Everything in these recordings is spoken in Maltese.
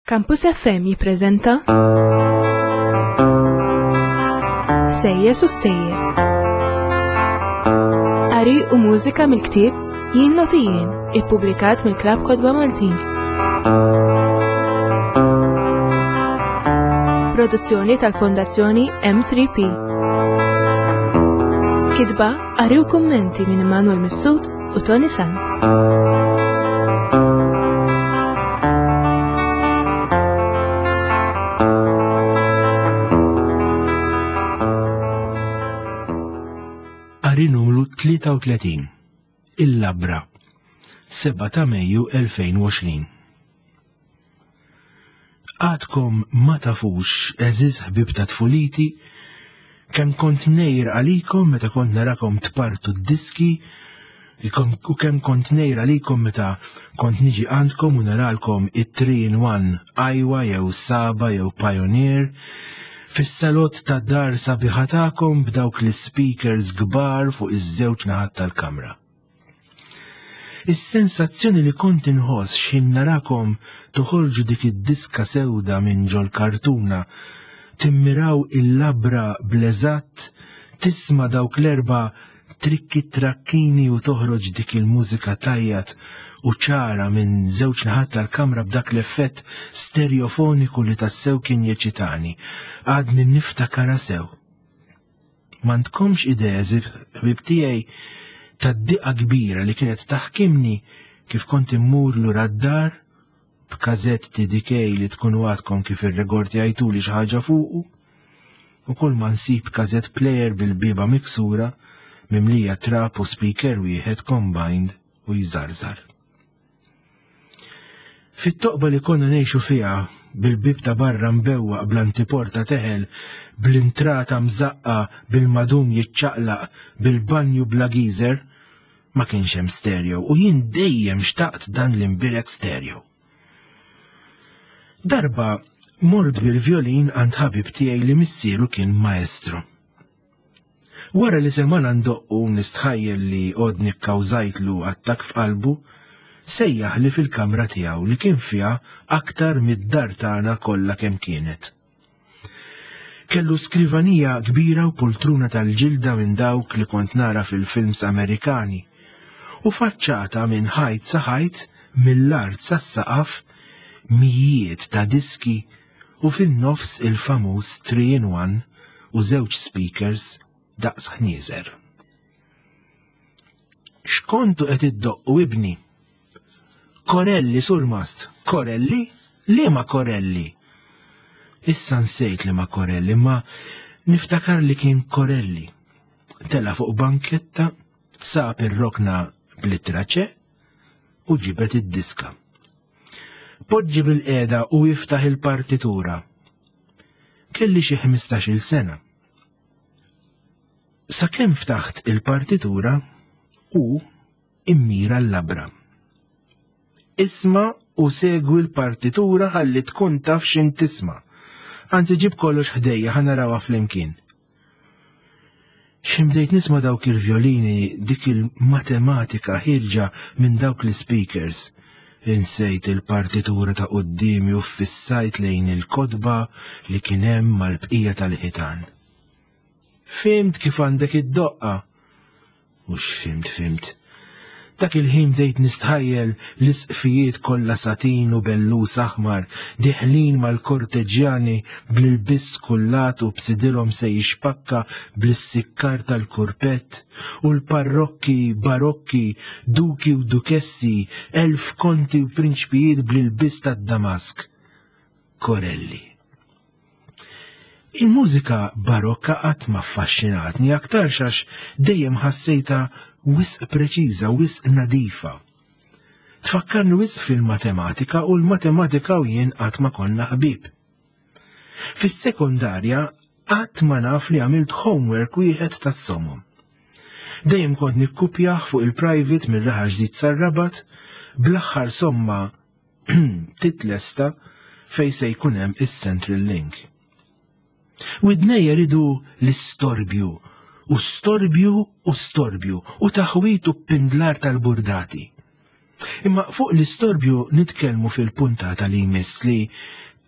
Campus FM jippreżenta Sejjes u Stejjer. Qari u mużika mill-ktieb Jien Noti Jien, ippubblikat mill-Klabb Kotba Maltin. Produzzjoni tal-Fondazzjoni M3P. Kitba, qari u kummenti minn Immanuel Mifsud u Tony Sant. Qari numru 33 Il-Labra 7 ta' Mejju 2020 Għadkom ma tafux, għeżież ħbieb ta' tfuliti, kemm kont ngħir għalikom meta kont narakom tpartu d-diski u kemm kont ngħir għalikom meta kont niġi għandkom u naralkom it-3 in 1 Aiwa jew Saba jew Pioneer fis-salott ta' dar sabiħa tagħkom b'dawk l-ispeakers kbar fuq iż-żewġ naħat tal-kamra. Is-sensazzjoni li kont inħoss x'ħin narakom toħorġu dik id-diska sewda minn ġol-kartuna, timmiraw il-labra bl-eżatt, tisma' dawk l-erba' trikki trakkini u toħroġ dik il-mużika tgħajjat u ċara minn żewġ naħat tal-kamra b'dak l-effett sterjofoniku li tassew kien jeċitani. Għadni niftakarha sew. M'għandkomx idea, ħbieb tiegħi, tad-diqa kbira li kienet taħkimni kif kont immur lura d-dar b'kazett TDK li tkunu għadkom kif irregorti għajtuli xi ħaġa fuqu, u kull ma nsib kazett player bil-bieba miksura mimlija trab u speaker wieħed combined u jżarżar. Fit-toqba li konna ngħixu fiha, bil-bieb ta' barra mbewwaq bl-antiporta teħel, bl-intrata mżaqqa, bil-madum jiċċaqlaq, bil-banju bla geezer, ma kienx hemm stereo u jien dejjem xtaqt dan l-imbirek stereo. Darba mort bil-vjolin għand ħabib tiegħi li missieru kien maestro. Wara li semgħana ndoqqu nistħajjel li għodni kkawżajtlu attakk f'qalbu, sejjaħli fil-kamra tiegħu li kien fiha aktar mid-dar tagħna kollha kemm kienet. Kellu skrivanija kbira u poltruna tal-ġilda minn dawk li kont nara fil-films Amerikani u faċċata minn ħajt sa ħajt mill-art sas-saqaf mijiet ta' diski u fin-nofs il-famuż 3 in 1 u żewġ speakers daqs ħnieżer. X'kontu qed iddoqqu ibni? Korelli, surmast, Korelli? Liema Korelli? Issa nsejt li ma Korelli, ma niftakar li kien Korelli. Tela fuq banketta, sab ir-rokna bl-ittra ċe u ġibet id-diska. Poġġi bil-qiegħda u iftaħ il-partitura. Kelli xi 15-il sena. Sakemm ftaħt il-partitura u immira l-labra. Isma' u segwi l-partitura ħalli tkun taf x'in tisma'. Anzi ġib kollox ħdejja ħa narawha flimkien. X'ħin bdejt nisma' dawk il-vjolini, dik il-matematika ħierġa minn dawk l-ispeakers, insejt il-partitura ta' quddiemi u ffissajt lejn il-kotba li kien hemm mal-bqija tal-ħitan. Fhimt kif għandek iddoqqha! Mhux fhimt fhimt. Dak il-ħin bdejt nistħajjel l-isqfijiet kollha satin u bellus aħmar diħlin mal-korteġġjani bl-ilbies skullat u b'sidirhom se jixpakka bl-issikkar tal-kurpett u l-parrokki barokki, duki u dukessi, elf konti u prinċpijiet bl-ilbies tad-Damask. Corelli. Il-mużika barokka qatt ma affaxxinatni aktarx għax dejjem ħassejtha wisq preċiża, wisq nadifa. Tfakkarni wisq fil-matematika u l-matematika u jien qatt ma konna ħbieb. Fis-sekondarja qatt ma naf li għamilt homework wieħed tas-somom. Dejjem kont nikkupjah fuq il-private mir-Raħal Ġdid sar-Rabat bl-aħħar somma titlesta fejn se jkun hemm is-Central Link. Widnejja ridu l-istorbju, u storbju u storbju, u taħwit u pindlar tal-burdati. Imma fuq l-istorbju nitkellmu fil-puntata li jmiss li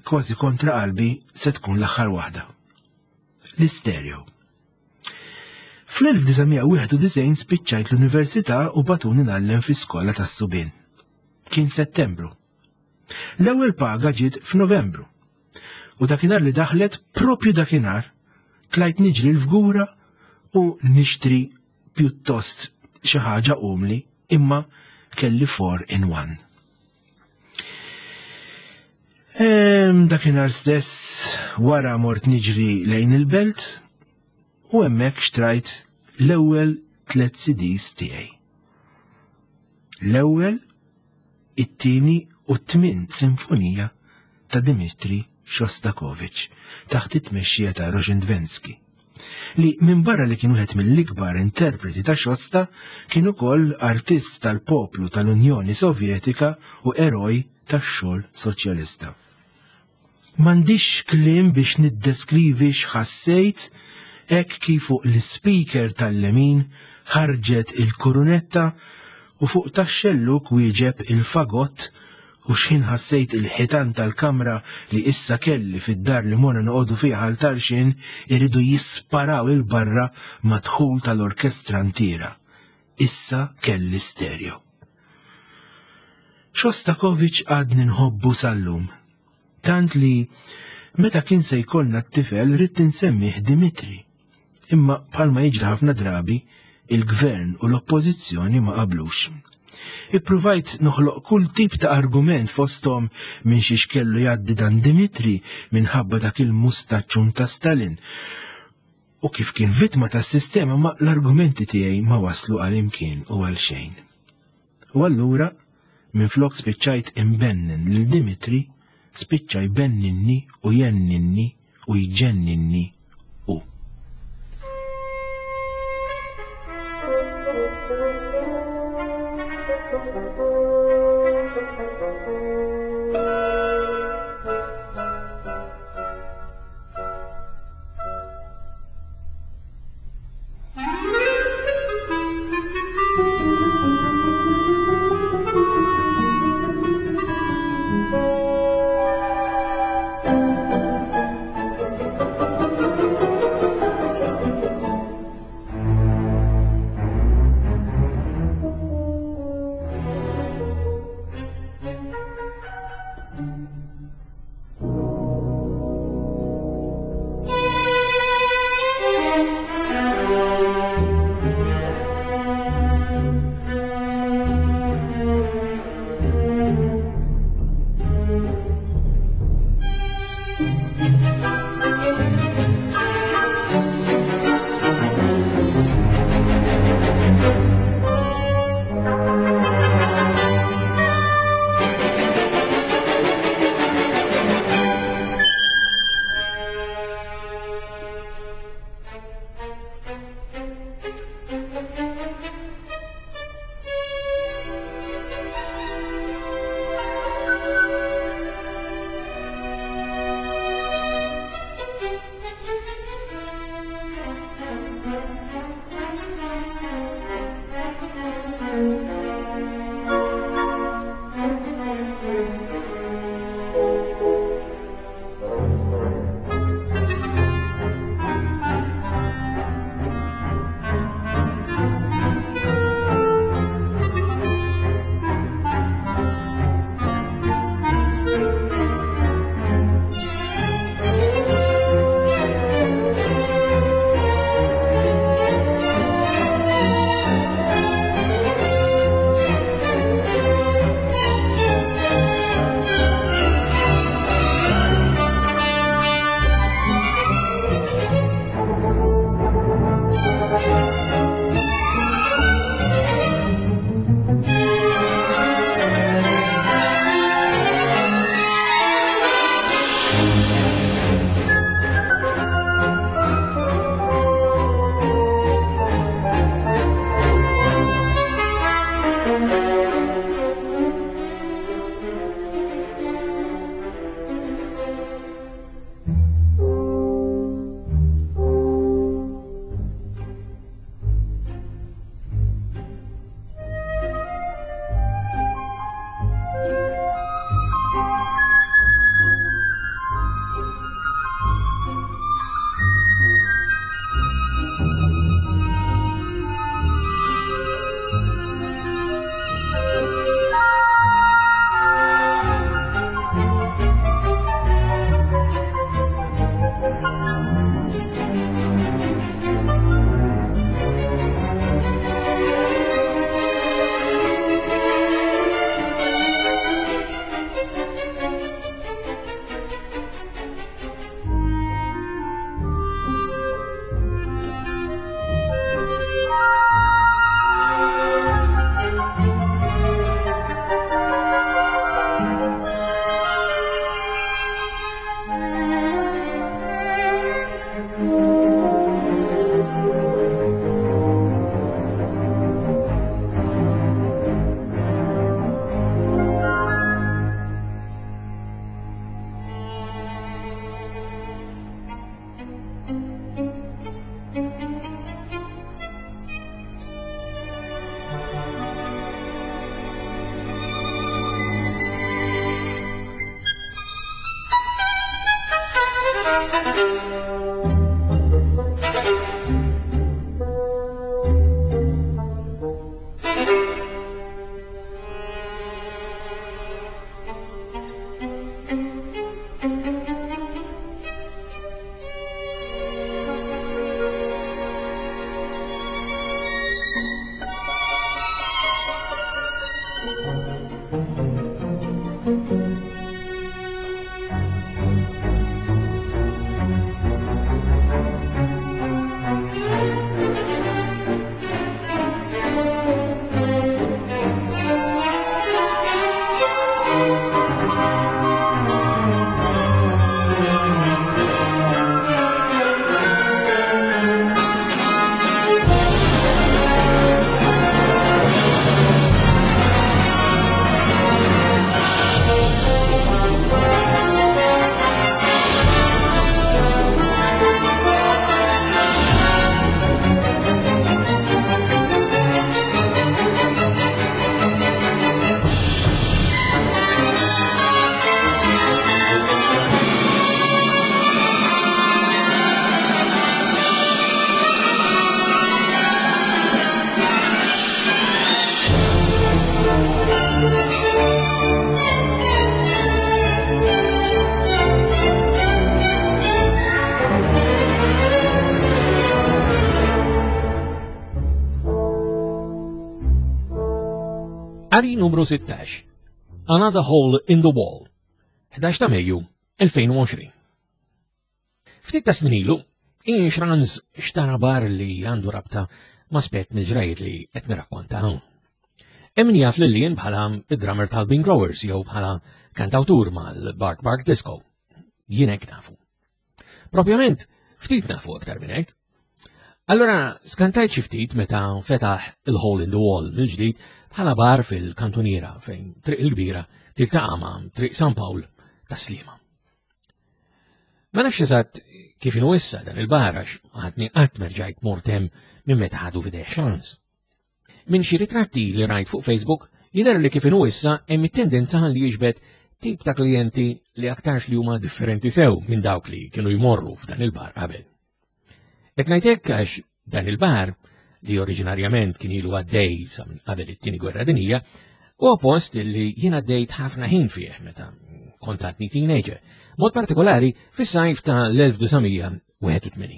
kważi kontra qalbi se tkun l-aħħar waħda. L-istereo. Fl-1991 spiċċajt l-università u batuni ngħallem fi skola tas-subien. Kien Settembru. L-ewwel paga ġiet f'Novembru. U dakinhar li daħlet propju dakinhar tlajt niġri l-fgura u nixtri pjuttost xi ħaġa umli imma kelli 4 in 1. Dakinhar stess wara mort niġri lejn il-belt u hemmhekk xtrajt l-ewwel tliet CDs tiegħi. L-ewwel, it-tieni u t-tmien sinfonija ta' Dimitri Shostakovich taħt it-tmexxija ta' Rozhdestvensky, li minbarra li kien wieħed mill-ikbar interpreti ta' Shosta, kien ukoll artist tal-poplu tal-Unjoni Sovjetika u eroj tax-xogħol soċjalista. M'għandix kliem biex niddeskrivi x'ħassejt hekk kif fuq l-ispeaker tal-lemin ħarġet il-kurunetta u fuq tax-xellug wieġeb il-fagott u x'ħin ħassejt il-ħitan tal-kamra li issa kelli fid-dar li morna noqogħdu fiha Ħal Tarxien iridu jisparaw 'il barra mad-dħul tal-orkestra ntiera. Issa kelli stereo. Shostakovich għadni nħobbu sal-lum. Tant li meta kien se jkollna t-tifel ridt insemmih Dimitri. Imma bħalma jiġri ħafna drabi, il-gvern u l-oppożizzjoni ma qablux. Ippruvajt noħloq kull tip ta' argument fosthom minn xiex kellu jgħaddi dan Dimitri minħabba dak il-mustaċċun ta' Stalin. U kif kien vittma tas-sistema ma l-argumenti tiegħi ma waslu għal imkien u għal xejn. U allura, minflok spiċċajt imbennen lil Dimitri, spiċċa jbenninni u jenninni u jġenninni hu. Qari numru 16. Another Hole in the Wall. 11 ta' Mejju 2020. Ftit ta' snin ilu, Ian Schranz xtara bar li għandu rabta ma' spett mill-ġrajiet li qed nirrakkonta hawn. Hemm jaf lil Ian bħala id-drummer tal-Bean Growers jew bħala kantawtur mal-Bark Bark Disco. Jien hekk nafu. Propjament, ftit nafu aktar minn hekk. Allora, skantajt xi ftit meta fetaħ il-Hole in the Wall mill-ġdid bħala bar fil-kantuniera fejn Triq il-Kbira tiltaqa' ma' Triq San Pawl ta' Sliema. Ma nafx eżatt kif inhu issa dan il-bar għax għadni qatt merġajt mort hemm minn meta ħadu f'idejh xans. Minn xi ritratti li rajt fuq Facebook jidher li kif inhu issa hemm it-tendenza li jiġbed tip ta' klijenti li aktarx li huma differenti sew minn dawk li kienu jmorru f'dan il-bar qabel. Qed ngħid hekk għax dan il-bar li oriġinarjament kien ilu għaddej sa minn qabel it-tieni gwerra dinija, huwa post li jien għaddejt ħafna ħin fih meta kont għadni teenager, mod partikolari fis-sajf ta' l-1981.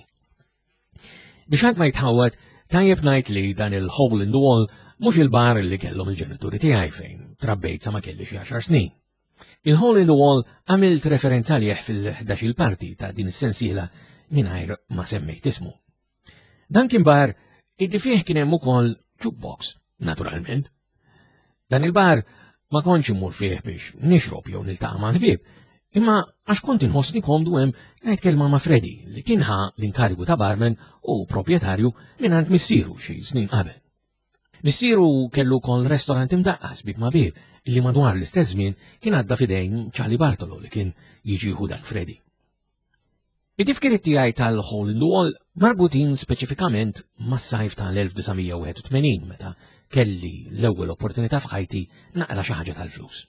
Biex ħadd ma jitħawwad, tajjeb ngħid li dan il-hole in the wall mhux il-bar li kellhom il-ġenituri tiegħi fejn trabbejt sa ma kelli xi għaxar snin. Il-hole in the wall għamilt referenza għalih fil-11 il-parti ta' din is-sensiela mingħajr ma semmejt ismu. Dan kien bar illi fih kien hemm ukoll jukebox, naturalment. Dan il-bar ma kontx immur fih biex nixrob jew niltaqa' ma' ħbieb, imma għax kont inħossni komdu hemm ngħid kelma ma' Freddy li kien ħa l-inkarigu ta' barman u proprjetarju mingħand missieru xi snin qabel. Missieru kellu wkoll restorant imdaqqas bib ma' bib li madwar l-istess żmien kien għadda f'idejn Charlie Bartolo li kien jiġi jieħu dan Freddy. It-tifkiriet tiegħi tal-Hole in the Wall marbutin speċifikament mas-sajf tal-1981 meta kelli l-ewwel opportunità f'ħajti naqla xi ħaġa tal-flus.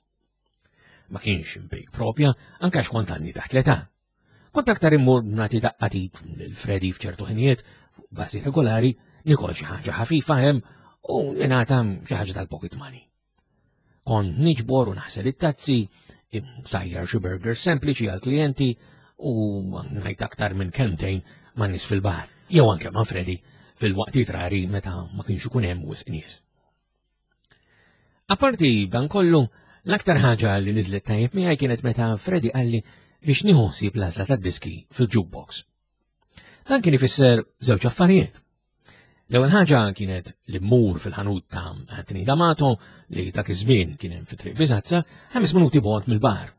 Ma kienx impejg propja anke għax kont għandni taħt l-età. Kont aktar immur nagħti daqqatit lil Freddy f'ċertu ħinijiet fuq bażi regolari, nikol xi ħaġa ħafifa hemm u ningħata xi ħaġa tal-pocket money. Kont niġbor u naħsel it-tazzi, sajjar xi burgers sempliċi għal klijenti u ngħid aktar minn kelmtejn ma' nies fil-bar, jew anke ma' Freddy fil-waqtiet rari meta ma kienx ikun hemm wisq nies. Apparti dan kollu, l-aktar ħaġa li niżlet tajjeb miegħi kienet meta Freddy qalli biex nieħu ħsieb l-għażla tad-diski fil-jukebox. Dan kien ifisser żewġ affarijiet. L-ewwel ħaġa kienet li mmur fil-ħanut ta' Anthony D'Amato li dak iż-żmien kien hemm fi Triq Biżazza ħames minuti bogħod mill-bar.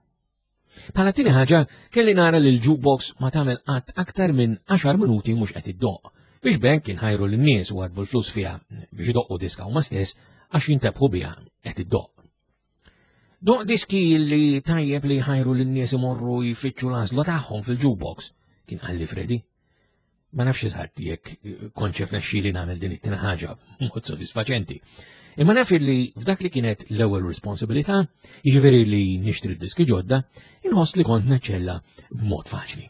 Bħala tieni ħaġa kelli nara li l-jukebox ma tagħmel qatt aktar minn 10 minuti mhux qed iddoqq biex b'hekk inħajru lin-nies u għadbu l-flus fiha biex idoqqu diska huma stess għax jintebħu biha qed iddoqq. Doq diski li tajjeb li jħajru lin-nies imorru jfittxu l-għażla tagħhom fil-jukebox, kien qalli Freddy. Ma nafx eżatt jekk kontx irnexxieli nagħmel din it-tieni ħaġa b'mod sodisfaċenti. Imma naf li f'dak li kienet l-ewwel responsabilità, jiġifieri li nixtri diski ġodda, inħoss li kont naċċella b'mod faċli.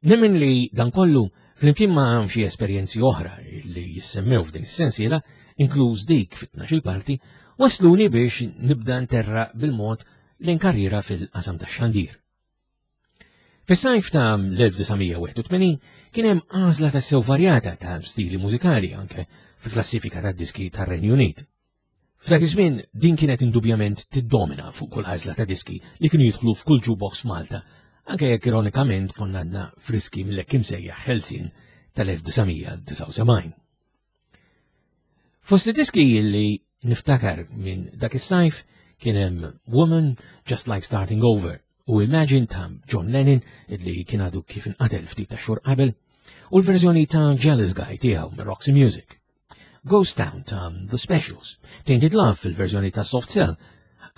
Nemmen li dan kollu flimkien ma' xi esperjenzi oħra li jissemmew f'din is-sensiela, inkluż dik fit-tnax-il parti, wasluni biex nibda nterraq bil-mod lejn karriera fil-qasam tax-xandir. Fis-sajf ta' l-1981 kien hemm għażla tassew varjata ta' stili mużikali anke fil-klassifika tad-diski tar-Renju Unit. F'dak iż-żmien din kienet indubjament tiddomina fuq kull għażla ta' diski li kienu jidħlu f'kull jukebox f'Malta, anke jekk ironikament konna għadna friski mill-hekk imsejjaħ ħelsien tal-1979. Fost id-diski li niftakar minn dak is-sajf kien hemm Woman, Just Like Starting Over u Imagine ta' John Lennon li kien għadu kif inqatel ftit ta' xhur qabel u l-verżjoni ta' Jealous Guy tiegħu minn Roxy Music. Ghost Town ta' The Specials, Tainted Love fil-verżjoni ta' Soft Cell,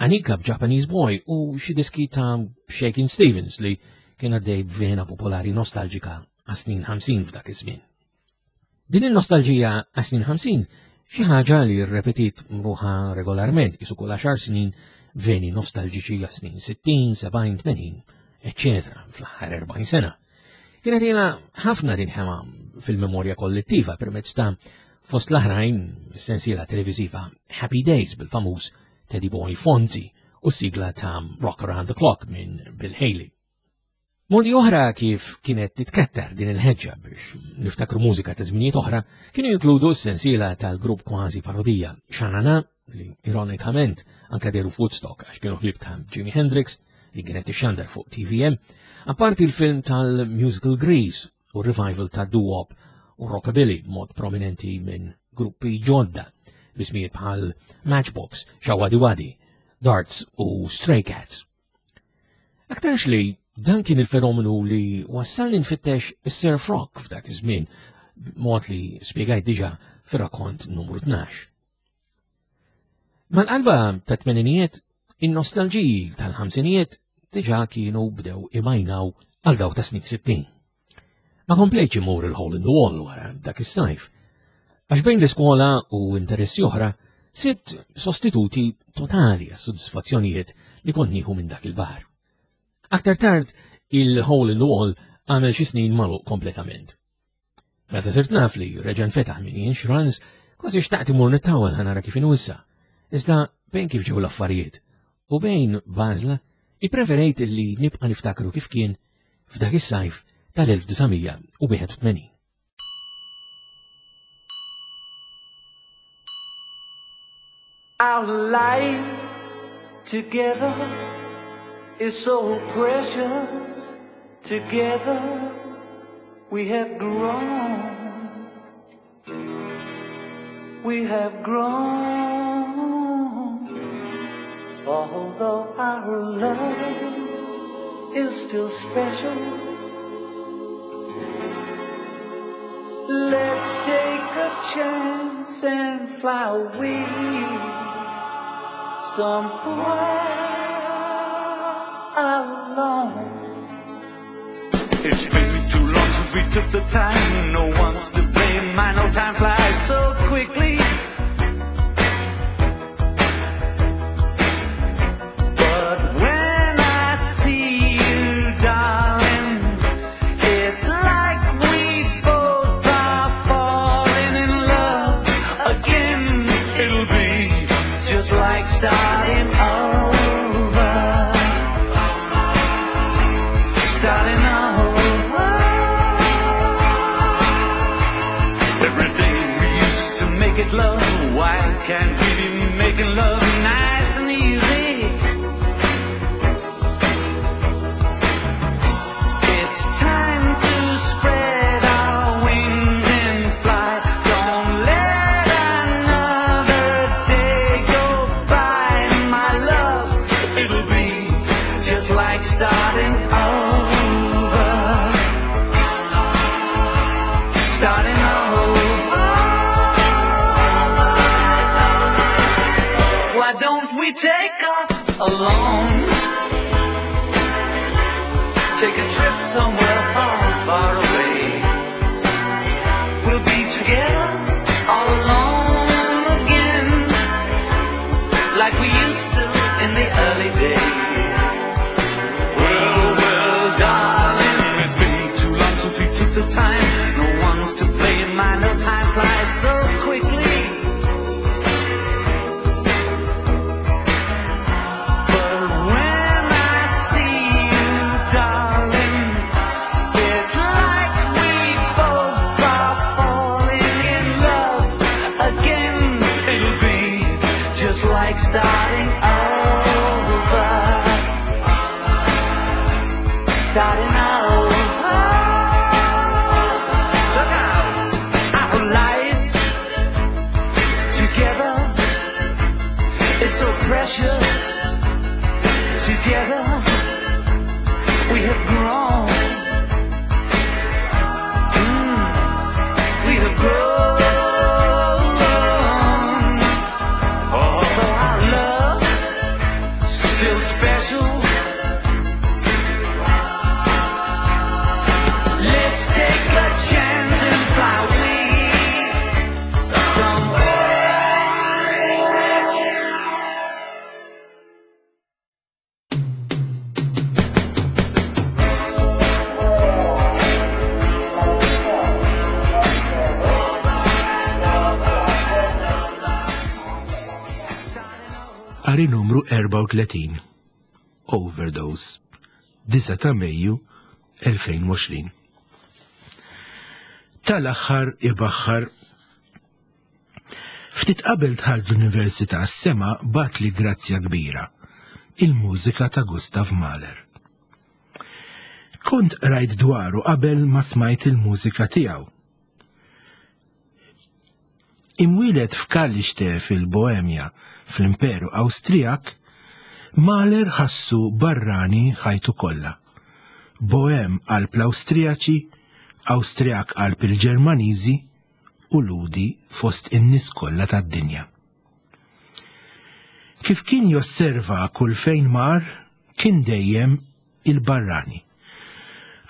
Anika b'Japanese Boy u xi diski ta' Shakin' Stevens li kien għaddej b'vena popolari nostalġika għas-snin 50 f'dak iż-żmien. Din il-nostalġija għas-snin 50 xi ħaġa li rrepetit ruħha regolarment isu kull għaxar snin veni nostalġiċi għas-snin 60, 70, 80, eċċetera fl-aħħar 40 sena. Kienet ilha ħafna tinħema fil-memorja kollettiva permezz ta' fost l-aħrajn sensiela televiżiva Happy Days bil-famuż Teddy Boy Fonzie u sigla ta' Rock Around the Clock minn Bill Haley. Modi oħra kif kienet titkattar din il-ħeġġa biex niftakru mużika ta' żminijiet oħra kienu jinkludu s-sensiela tal-grupp kważi parodija Xanana li ironikament anka deru f'Woodstock għax kienu ħbieb ta' Jimi Hendrix li kienet tixxandar fuq TVM, apparti l-film tal-musical Grease u revival ta' doo-wop u rockabilly mod prominenti minn gruppi ġodda bismijiet bħal Matchbox, Shawadiwadi, Darts u Stray Cats. Aktarx li dan kien il-fenomenu li wassalni nfittex is-surf rock f'dak iż-żmien, mod li spjegajt diġà fir-rakkont numru 12. Mal-qalba ta' tmeninijiet, in-nostalġiji tal-ħamsinijiet diġà kienu bdew imajnaw għal dawk ta' snin 60. Ma komplejtx imur il-hole in the wall wara dak is-sajf, għax bejn l-iskola u interessi oħra sibt sostituti totali għas-sodisfazzjonijiet li kont nieħu minn dak il-bar. Aktar tard, il-hole in the wall għamel xi snin magħluq kompletament. Meta sirt naf li reġa' nfetaħ minn Ian Schranz, kważi xtaqt imur nittawel ħa nara kif inhu issa. Iżda bejn kif ġew l-affarijiet u bejn b'għażla, ippreferejt li nibqa' niftakru kif kien f'dak is-sajf tal-1981. Our life together is so precious. Together we have grown. We have grown. Although our love is still special. Let's take a chance and fly away somewhere alone. It's been too long since we took the time. No one's to blame. I know time flies so quickly. But when I see you, darling, it's like we both are falling in love again. It'll be just like starting over. Starting over. Every day we used to make it love. Why can't we be making love nice and easy? It's time to spread our wings and fly. Don't let another day go by, my love. It'll be just like starting over. Starting over. Why don't we take off alone? Take a trip somewhere far, far away. We'll be together all alone again, like we used to in the early days. Well, well, darling, it's been too long time. No one's to blame. I know time flies so quickly. But when I see you, darling, it's like we both are falling in love again. It'll be just like starting over. Starting over. Look out! Our life together is so precious. Together we have grown. We have grown. Although our love still special. Let's take a chance and fly away somewhere. Qari numru 34. Overdose. 9 ta' Mejju 2020. Tal-aħħar ibaħħar. Ftit qabel dħalt l-università s-sema bagħatli grazzja kbira, il-mużika ta' Gustav Mahler. Kont rajt dwaru qabel ma smajt il-mużika tiegħu. Imwieled f'Kalliste fil-Boemja fl-Imperu Awstrijak, Mahler ħassu barrani ħajtu kollha. Boem qalb l-Awstrijaċi, Awstrijak qalb il-Ġermaniżi u Lhudi fost in-nies kollha tad-dinja. Kif kien josserva kull fejn mar, kien dejjem il-barrani.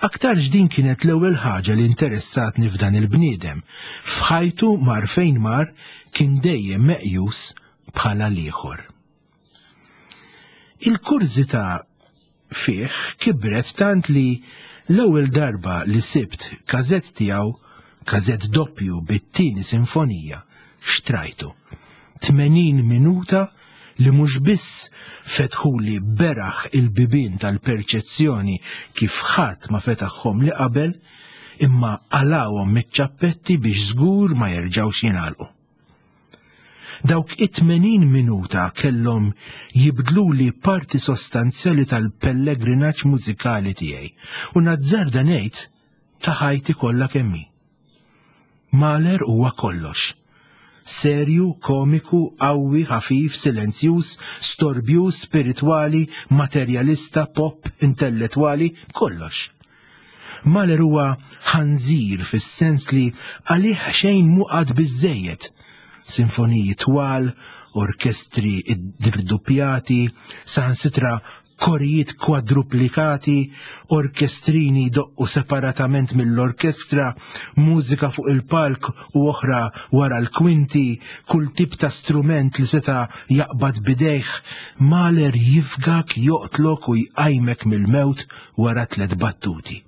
Aktarx din kienet l-ewwel ħaġa li interessatni f'dan il-bniedem. F'ħajtu mar fejn mar kien dejjem meqjus bħala l-ieħor. Il-kurżità fih kibret tant li l-ewwel darba li sibt każett tiegħu, każett doppju bit-tieni sinfonija, xtrajtu. 80 minuta li mhux biss fetħuli beraħ il-bibien tal-perċezzjoni kif ħadd ma fetaħhom li qabel, imma qalawhom miċ-ċappetti biex żgur ma jerġgħux jingħalqu. Dawk it-80 minuta kellhom jibdluli parti sostanzjali tal-pellegrinaġġ mużikali tiegħi u nazzarda ngħid ta' ħajti kollha kemm hi. Mahler huwa kollox. Serju, komiku, qawwi, ħafif, silenzjuż, storbjuż, spiritwali, materjalista, pop, intellettwali, kollox. Mahler huwa ħanżir fis-sens li għalih xejn mhu qatt biżżejjed. Sinfoniji twal, orkestri irduppjati, saħansitra korijiet kwadruplikati, orkestrini jdoqqu separatament mill-orkestra, mużika fuq il-palk u oħra wara l-kwinti, kull tip ta' strument li seta' jaqbad bidejh, Mahler jifgak, joqtlok u jqajmek mill-mewt wara 3 battuti.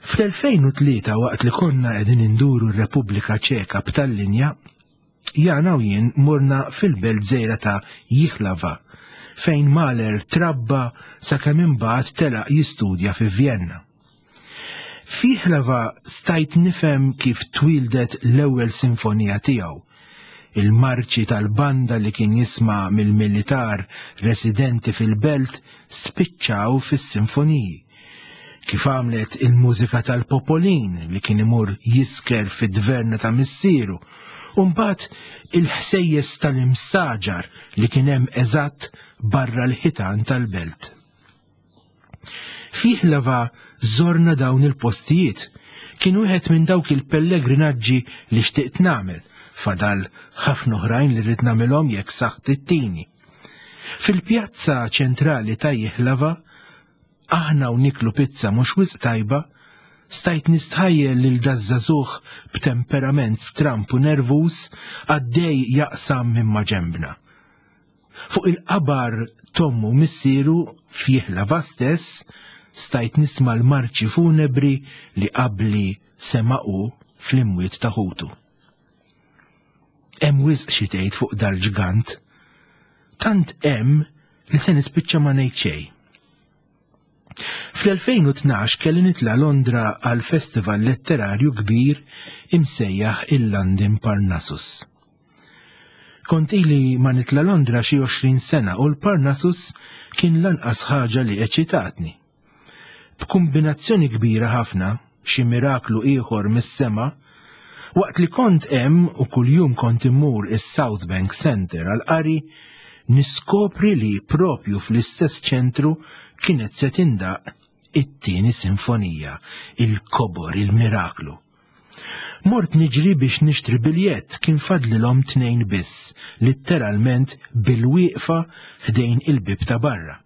Fl-2003 waqt li konna qegħdin induru r-Repubblika Ċeka b'tal-linja, Jana u jien morna fil-belt żgħira ta' Jihlava, fejn Mahler trabba sakemm imbagħad telaq jistudja fi Vjenna. F'Jihlava stajt nifhem kif twieldet l-ewwel sinfonija tiegħu, il-marċi tal-banda li kien jisma' mill-militar residenti fil-belt spiċċaw fis-sinfoniji. Kif għamlet il-mużika tal-Popolin li kien imur jisker fid-dverna ta' missieru, u mbagħad il-ħsejjes tal-imsaġar li kien hemm eżatt barra l-ħitan tal-belt. F'Jihlava żorna dawn il-postijiet. Kien wieħed minn dawk il-pellegrinaġġi li xtiqt nagħmel, fadal ħafna oħrajn li rrid nagħmilhom jekk saħħti ttini. Fil-pjazza ċentrali ta' Jihlava, aħna u niklu pizza mhux wisq tajba, stajt nistħajjel lil daż-żagħżugħ b'temperament stramp u nervuż għaddej jaqsam minn maġenbna. Fuq il-qabar t'ommu u missieru f'Jihlava stess, stajt nisma' l-marċi funebri li qabli sema' hu fl-imwiet ta' ħutu. Hemm wisq xi tgħid fuq dal-ġgant. Tant hemm li se nispiċċa ma ngħid xejn. Fl-2012 kelli nitla' Londra għal festival letterarju kbir imsejjaħ il-London Parnassus. Kont ili ma nitla' Londra xi 20 sena u l-Parnassus kien lanqas ħaġa li eċitatni. B'kumbinazzjoni kbira ħafna, xi miraklu ieħor mis-sema, waqt li kont hemm u kuljum kont immur is-South Bank Centre għall-qari, niskopri li propju fl-istess ċentru kienet se tindaq it-tieni sinfonija, il-kobor, il-miraklu. Mort niġri biex nixtri biljett kien fadlilhom tnejn biss, litteralment bil-wieqfa ħdejn il-bib ta' barra.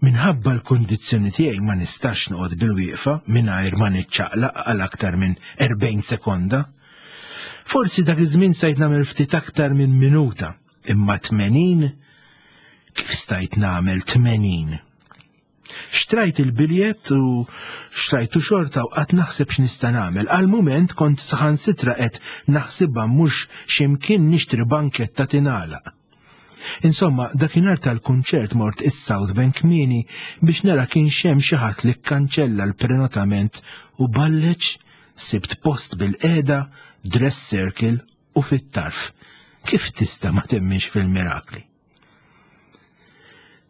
Minħabba l-kundizzjoni tiegħi ma nistax noqgħod bil-wieqfa mingħajr ma niċċaqlaq għal aktar minn 40 sekonda. Forsi dak iż-żmien stajt nagħmel ftit aktar minn minuta, imma 80 kif stajt nagħmel 80? Xtrajt il-biljett u xtrajtu xorta u qatt naħseb x'nista' nagħmel. Għal mument kont saħansitra qed naħsibha mhux x'imkien nixtri banketta tingħalaq. Insomma, dakinhar tal-kunċert mort is-South Bank kmieni biex nara kienx hemm xi ħadd li kkanċella l-prenotament u balleġ sibt post bil-qiegħda, dress circle u fit-tarf. Kif tista' ma temminx fil-mirakli?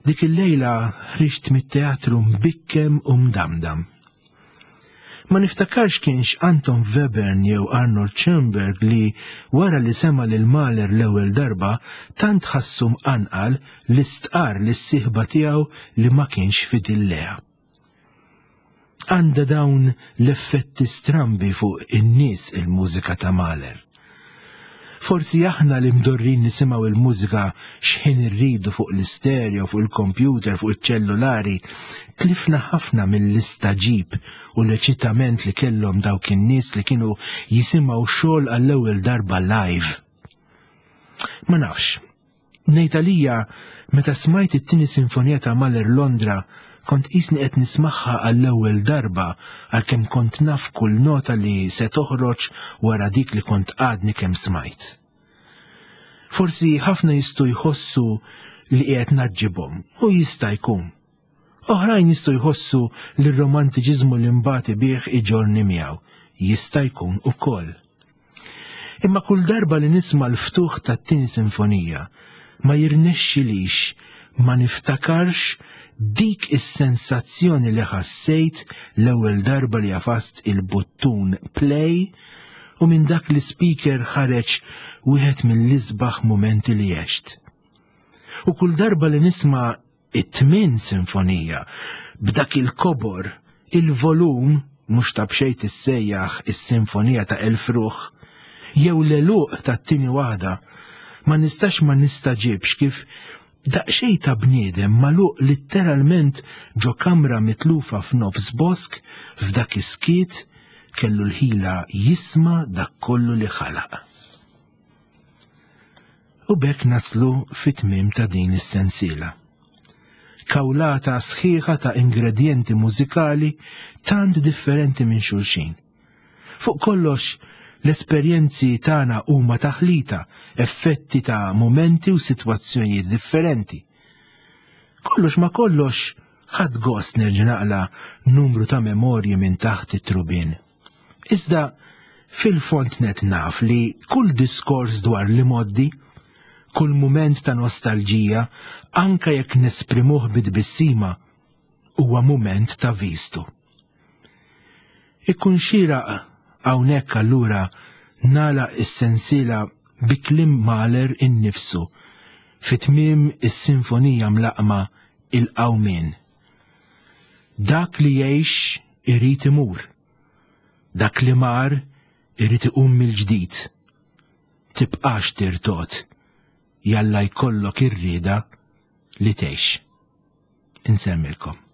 Dik il-lejla ħriġt mit-teatru mbikkem u mdamdam. Ma niftakarx kienx Anton Webern jew Arnold Schoenberg li wara li sema' lil Mahler l-ewwel darba tant ħassu mqanqal li stqarr lis-sieħba tiegħu li ma kienx fidil lejha. Għandha dawn l-effetti strambi fuq in-nies il-mużika ta' Mahler. Forsi aħna li mdorrin nisimgħu il-mużika x'ħin irridu fuq l-istereo, fuq il-kompjuter, fuq iċ-ċellulari, tlifna ħafna mill-istaġib u l-eċitament li kellhom dawk in-nies li kienu jisimgħu xogħol għall-ewwel darba live. Ma nafx, Ngħid għalija, meta smajt it-tieni sinfonija ta' Mahler Londra, kont qisni qed nismagħha għall-ewwel darba għalkemm kont naf kull nota li se toħroġ wara dik li kont għadni kemm smajt. Forsi ħafna jistgħu jħossu li qiegħed naġġibhom u jista' jkun. Oħrajn jistgħu jħossu li r-romantiċiżmu li mbagħad bih iġorni miegħu. Jista' jkun ukoll. Imma kull darba li nisma' l-ftuħ tat-tieni sinfonija, ma jirnexxilix ma niftakarx dik is-sensazzjoni li ħassejt l-ewwel darba li għafast il-buttun play u minn dak l-ispeaker ħareġ wieħed mill-isbaħ mumenti li għext. U kull darba li nisma' it-tmien sinfonija b'dak il-kobor, il-volum mhux ta' b'xejn tissejjaħ is-sinfonija ta' elf ruħ, jew l-għeluq tat-tieni waħda, ma nistax ma nistagħġibx kif daqsxejn ta' bniedem magħluq litteralment ġo kamra mitlufa f'nofs bosk f'dak is-skiet kellu l-ħila jisma' dak kollu li ħalaq. U b'hekk naslu fit-tmiem ta' din is-sensiela. Kawlata sħiħa ta' ingredjenti mużikali tant differenti minn xulxin. Fuq kollox, l-esperjenzi tagħna huma taħlita, effetti ta' mumenti u sitwazzjonijiet differenti. Kollox ma kollox, ħadt gost nerġa' naqla' numru ta' memorji minn taħt it-trubien. Iżda fil-fond net naf li kull diskors dwar l-imgħoddi, kull mument ta' nostalġija, anka jekk nesprimuh bi tbissima, huwa mument ta' vistu. Ikun xieraq hawnhekk allura nagħlaq is-sensiela bi kliem Mahler innifsu fi tmiem is-sinfonija mlaqqma Il-Qawmien. Dak li jgħix irid imur. Dak li mar irid iqum mill-ġdid. Tibqax tirtod, jalla jkollok ir-rieda li tgħix. Insemmilkom.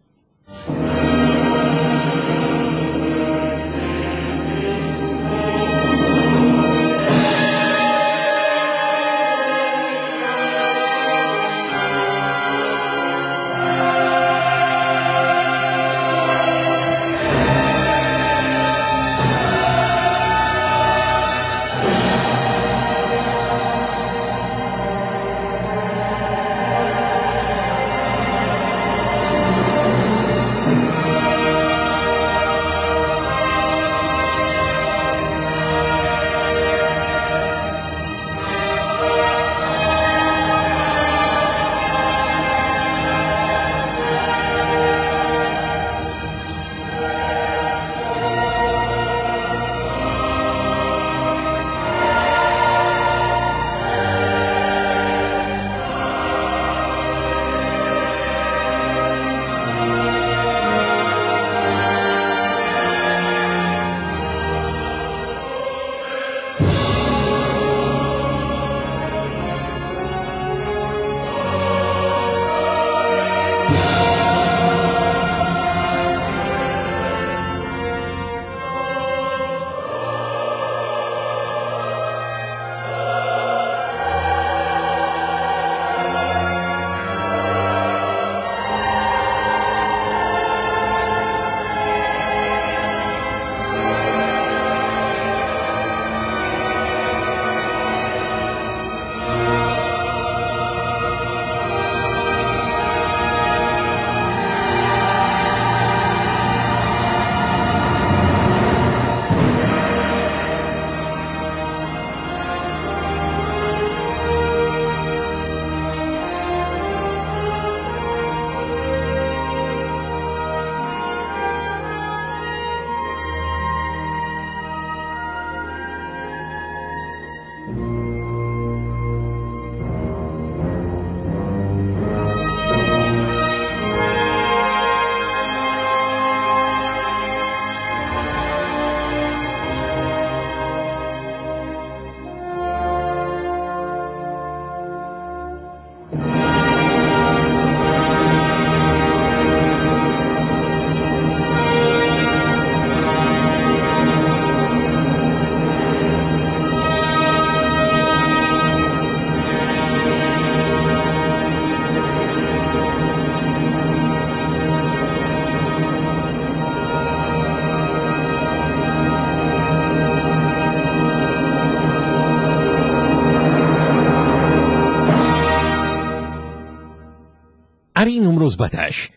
Qari numru 17,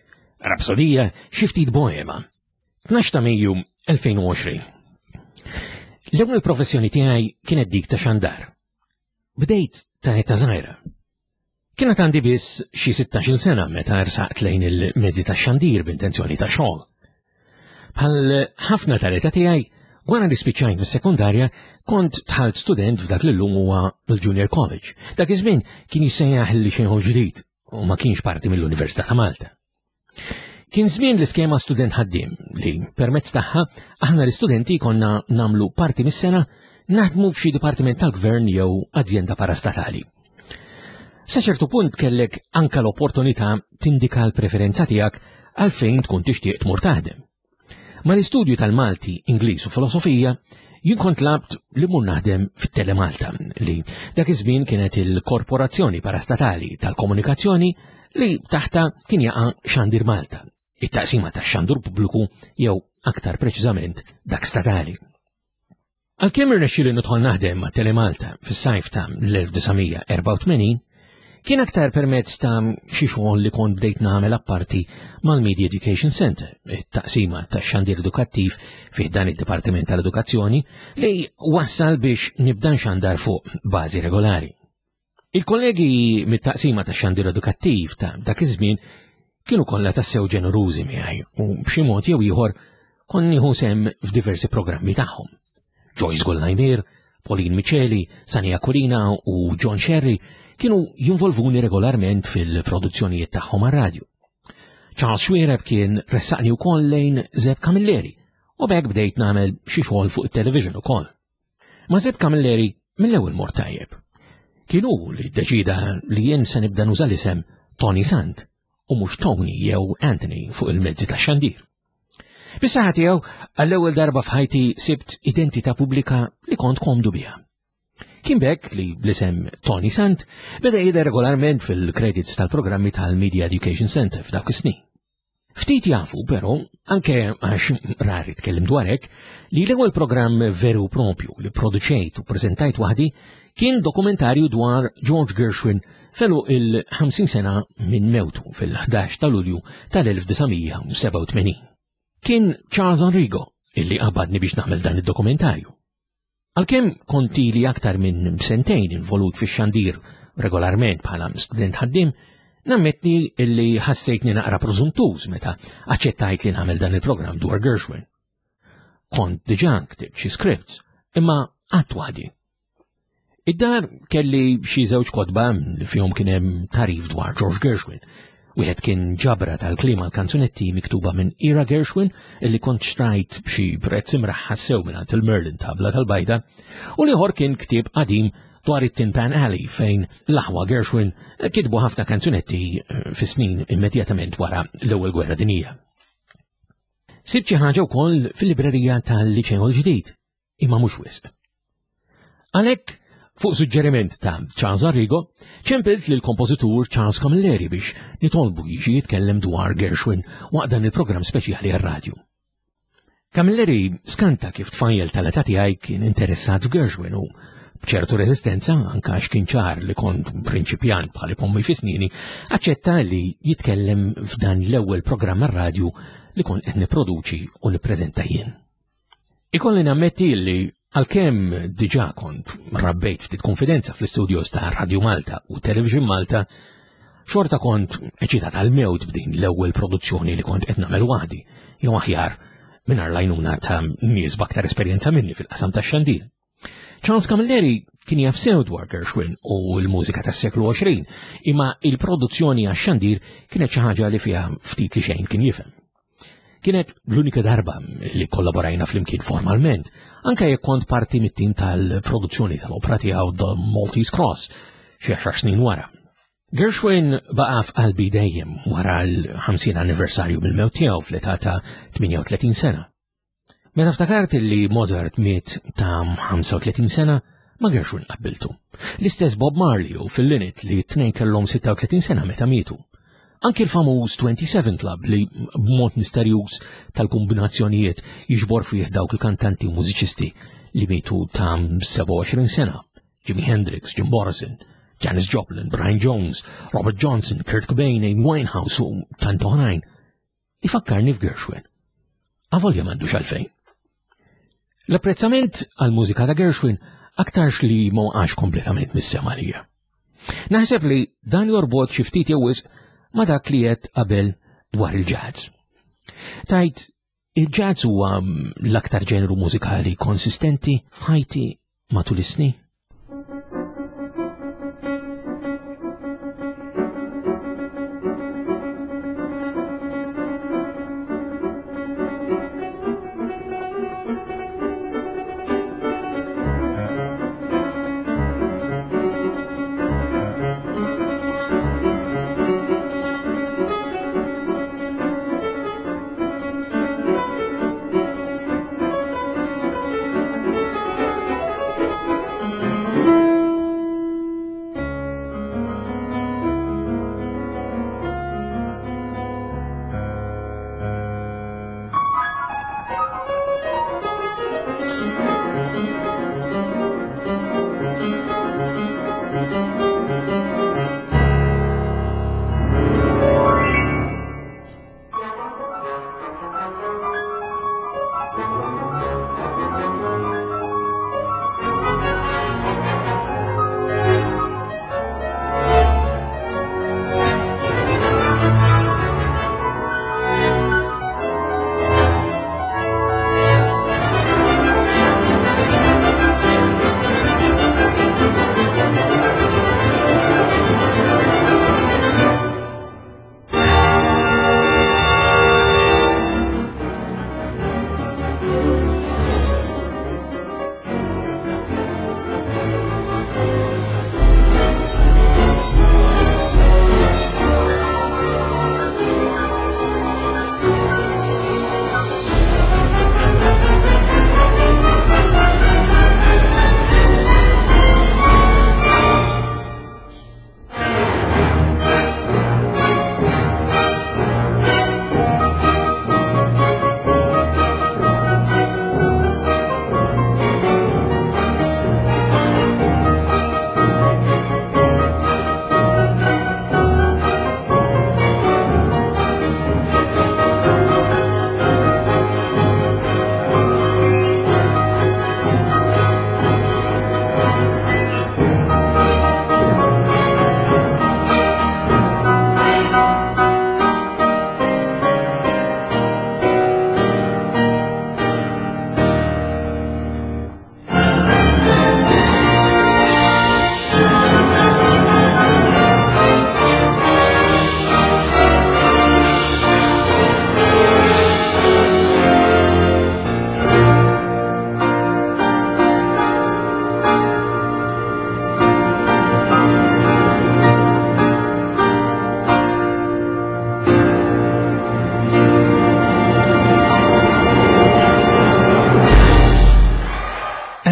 Rapsodija xi ftit boema, 12 ta' Mejju 2020. L-ewwel professjoni tiegħi kienet dik ta' xandar. Bdejt ta' età żgħira. Kienet għandi biss xi 16-il sena meta rsaqt lejn il-mezzi tax-xandir b'intenzjoni ta' xogħol. Bħal ħafna tal-età tiegħi, wara li spiċċajt mis-sekondarja, kont dħalt student f'dak li llum huwa l-Junior College. Dak iż-żmien kien jissejjaħ il-Liċeo ġdid u ma kienx parti mill-Università ta' Malta. Kien żmien l-iskema student ħaddiem li permezz tagħha aħna l-istudenti konna namlu parti mis-sena naħdmu f'xi dipartiment tal-gvern jew azjenda parastatali. Sa ċertu punt kellek anka l-opportunità tindika l-preferenza tiegħek għalfejn tkun tixtieq tmur taħdem. Mal-istudju tal-Malti, Ingliż u Filosofija, jien kont labt li mur naħdem fit-Telemalta li dak iż-żmien kienet il-korporazzjoni parastatali tal-komunikazzjoni li taħta kien jaqa' Xandir Malta, it-taqsima tax-xandur pubbliku jew aktar preċiżament dak statali. Għalkemm irnexxieli nidħol naħdem ma' Telemalta fis-sajf ta' l-1984, kien aktar permezz ta' xi xogħol li kont bdejt nagħmel apparti mal-Media Education Center, it-taqsima tax-xandir edukattiv fih dan id-Dipartiment tal-Edukazzjoni li wassal biex nibda nxandar fuq bażi regolari. Il-kollegi mit-taqsima tax-xandir edukattiv ta' dak iż-żmien kienu kollha tassew ġenerużi miegħi u b'xi mod jew ieħor kont nieħu sehem f'diversi programmi tagħhom. Joyce Gollajmir, Pauline Miceli, Sania Kulina u John Sherry kienu jinvolvuni regolarment fil-produzzjonijiet tagħhom għar-radju. Charles Xuereb kien ressaqni wkoll lejn Zeb Camilleri u b'hekk bdejt nagħmel xi xogħol fuq it-television ukoll. Ma' Zeb Camilleri mill-ewwel mort tajjeb. Kien hu li ddeċida li jien se nibda nuża l-isem Tony Sant u mhux Tony jew Anthony fuq il-mezzi tax-xandir. Bis-saħħa tiegħu għall-ewwel darba f'ħajti sibt identità pubblika li kont komdu biha. Kien b'hekk li bl-isem Tony Sant beda jidher regolarment fil-credits tal-programmi tal-Media Education Center f'dawk is-snin. Ftit jafu, però, anke għax rari tkellim dwar hekk, li l-ewwel programm veru propju li produċejt u preżentajt waħdi kien dokumentarju dwar George Gershwin felu il-50 sena minn mewtu fil-11 ta' Lulju tal-1987. Kien Charles Enrigo illi qabadni biex nagħmel dan id-dokumentarju. Għalkemm kont ili aktar minn sentejn involut fix-xandir regolarment bħala student ħaddiem, nammetti li ħassejtni naqra prożuntuż meta aċċettajt li nagħmel dan il-programm dwar Gershwin. Kont diġà ktibt xi scripts, imma qatt waħdi. Id-dar kelli xi żewġ kotba li fihom kien hemm tarif dwar George Gershwin, Wieħed kien ġabra tal-kliem għal kanzunetti miktuba minn Ira Gershwin illi kont xtrajt b'xi prezz imraħħas sew mingħand il-Merlin tabla tal-bajda, u l-ieħor kien ktieb qadim dwar it-Tin Pan Alley fejn l-aħwa Gershwin kitbu ħafna kanzunetti eh, fis-snin immedjatament wara l-Ewwel Gwerra Dinjija. Sibt xi ħaġa wkoll fil-librerija tal-Liċeo l-ġdid imma mhux wisq. Għalhekk, fuq suġġeriment ta' Charles Arrigo, ċempilt lil kompożitur Charles Camilleri biex nitolbu jiġi jitkellem dwar Gershwin waqt dan il-programm speċjali għar-radju. Camilleri skanta kif tfajjel tal-età tiegħi kien interessat f'Gershwin u b'ċertu reżistenza, anka għax kien ċar li kont prinċipjant bħal pommi fi snini, aċċetta li jitkellem f'dan l-ewwel programm għar-radju li kont qed nipproduċi u nippreżenta jien. Ikolli nammetti li għalkemm diġà kont rabbejt ftit konfidenza fl-istudios ta' Radio Malta u Television Malta, xorta kont eċitat għal-mewt b'din l-ewwel produzzjoni li kont qed nagħmel waħdi, jew aħjar mingħajr l-għajnuna ta' nies b'aktar esperjenza minni fil-qasam tax-xandir. Charles Camilleri kien jaf sew dwar Gershwin u l-mużika tas-seklu 20, imma il-produzzjoni għax-xandir kienet xi ħaġa li fiha ftit li xejn kien jifhem. Kienet l-unika darba li kollaborajna flimkien formalment, anke jekk kont parti mit-tim tal-produzzjoni tal-opra tiegħu The Maltese Cross xi għaxar snin wara. Gershwin baqa' f'qalbi dejjem wara l-50 anniversarju mill-mewt tiegħu fl-età ta' 38 sena. Meta ftakart li Mozart miet ta' 35 sena, ma Gershwin qabbiltu. L-istess Bob Marley u fil-Linit li t-tnejn kellhom 36 sena meta mietu. Anki l-famuż 27 Club li b'mod misterjuż tal-kombinazzjonijiet jiġbor fih dawk il-kantanti u mużiċisti li mietu ta' 27 sena. Jimi Hendrix, Jim Morrison, Janis Joplin, Brian Jones, Robert Johnson, Kurt Cobain, Amy Winehouse u tant oħrajn, ifakkarni f'Gershwin. Avolja m'għandux għalfejn. L-apprezzament għal-mużika ta' Gershwin aktarx li ma waqax kompletament mis-sema lija. Naħseb li dan jorbot xi ftit jew wisq ma' dak li qed qabel dwar il-jazz. Tajt, il-jazz huwa l-aktar ġeneru mużikali konsistenti f'ħajti matul is-snin.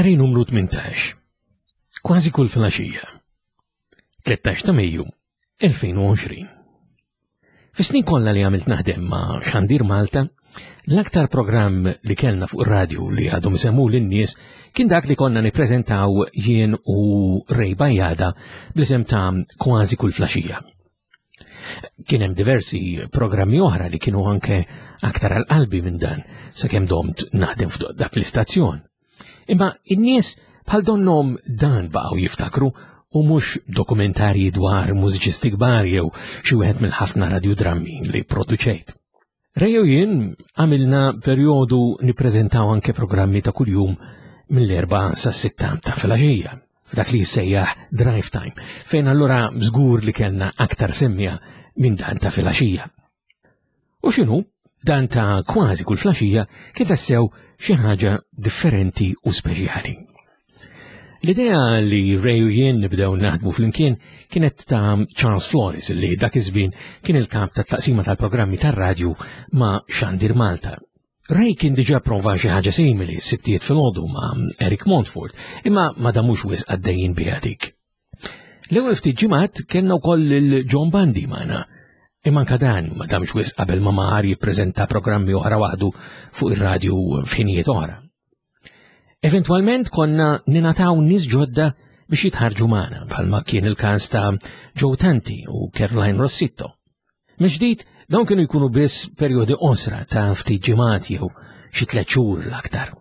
Qari numru 18. Kważi kull filgħaxija. 13 ta' Mejju 2020. Fis-snin kollha li għamilt naħdem ma' Xandir Malta, l-aktar programm li kellna fuq ir-radju li għadhom semmu lin-nies kien dak li konna nippreżentaw jien u Ray Bajada bl-isem ta' Kważi kull flaxija. Kien hemm diversi programmi oħra li kienu anke aktar għal qalbi minn dan sakemm domt naħdem f'dak dak l-istazzjon. Imma in-nies bħal donnom dan baqgħu jiftakru u mhux dokumentarji dwar mużiċisti kbar jew xi wieħed mill-ħafna radiodrammi li produċejt. Ray u jien għamilna perjodu nippreżentaw anke programmi ta' kuljum mill-erba sa' sitta ta' filgħaxija, f'dak li jissejjaħ drive time, fejn allura żgur li kellna aktar semmija minn dan ta' filgħaxija. U x'inhu, dan ta' kważi kull flaxija kien tassew xi ħaġa differenti u speċjali. L-idea li Ray u jien nibdew naħdmu flimkien kienet ta' Charles Flores li dak iż-żmien kien il-kap tat-taqsima tal-programmi tar-radju ma' Xandir Malta. Ray kien diġà prova xi ħaġa simili s-sibtijiet filgħodu ma' Eric Montfort, imma ma damux wisq għaddejjin biha dik. L-ewwel ftit ġimgħat kellna wkoll lil John Bundy magħna, imma anke dan ma damx wisq qabel ma mar jippreżenta programmi oħra waħdu fuq ir-radju f'ħinijiet oħra. Eventwalment konna ninataw nies ġodda biex jitħarġu magħna bħalma kien il-każ ta' Joe Tanti u Caroline Rossitto. Mill-ġdid, dawn kienu jkunu biss perjodi qosra ta' ftit ġimgħat jew xi tliet xhur l-aktar.